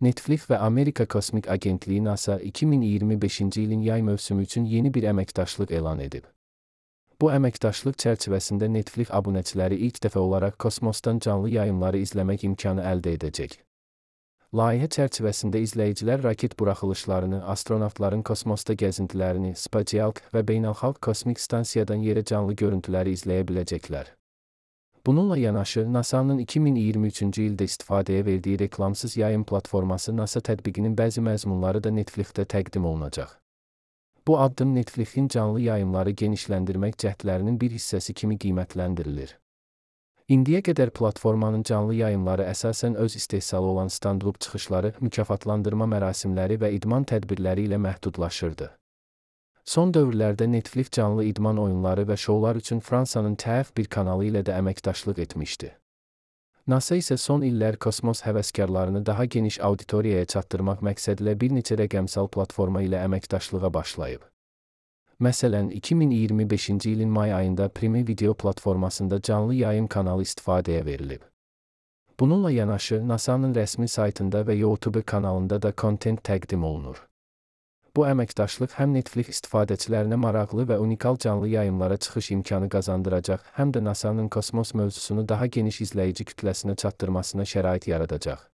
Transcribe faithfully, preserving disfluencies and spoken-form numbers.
Netflix və Amerika Kosmik Agentliyi NASA iki min iyirmi beşinci ilin yay mövsümü üçün yeni bir əməkdaşlıq elan edib. Bu əməkdaşlıq çərçivəsində Netflix abunəçiləri ilk dəfə olaraq kosmosdan canlı yayımları izləmək imkanı əldə edəcək. Layihə çərçivəsində izləyicilər raket buraxılışlarını, astronavtların kosmosda gəzintilərini, spatial və beynəlxalq kosmik stansiyadan yerə canlı görüntüləri izləyə biləcəklər. Bununla yanaşı, NASA'nın iki min iyirmi üçüncü ildə istifadəyə verdiyi reklamsız yayım platforması NASA tətbiqinin bəzi məzmunları da Netflixdə təqdim olunacaq. Bu addım Netflixin canlı yayımları genişləndirmək cəhdlərinin bir hissəsi kimi qiymətləndirilir. İndiyə qədər platformanın canlı yayımları əsasən öz istehsalı olan stand-up çıxışları, mükafatlandırma mərasimləri və idman tədbirləri ilə məhdudlaşırdı. Son dövrlərdə Netflix canlı idman oyunları və şoular üçün Fransanın T F bir kanalı ilə də əməkdaşlıq etmişdi. NASA isə son illər kosmos həvəskarlarını daha geniş auditoriyaya çatdırmaq məqsədilə bir neçə rəqəmsal platforma ilə əməkdaşlığa başlayıb. Məsələn, iki min iyirmi beşinci ilin may ayında Prime Video platformasında canlı yayım kanalı istifadəyə verilib. Bununla yanaşı, NASA'nın rəsmi saytında və YouTube kanalında da kontent təqdim olunur. Bu əməkdaşlıq həm Netflix istifadəçilərinə maraqlı və unikal canlı yayımlara çıxış imkanı qazandıracaq, həm də NASA'nın kosmos mövzusunu daha geniş izləyici kütləsinə çatdırmasına şərait yaradacaq.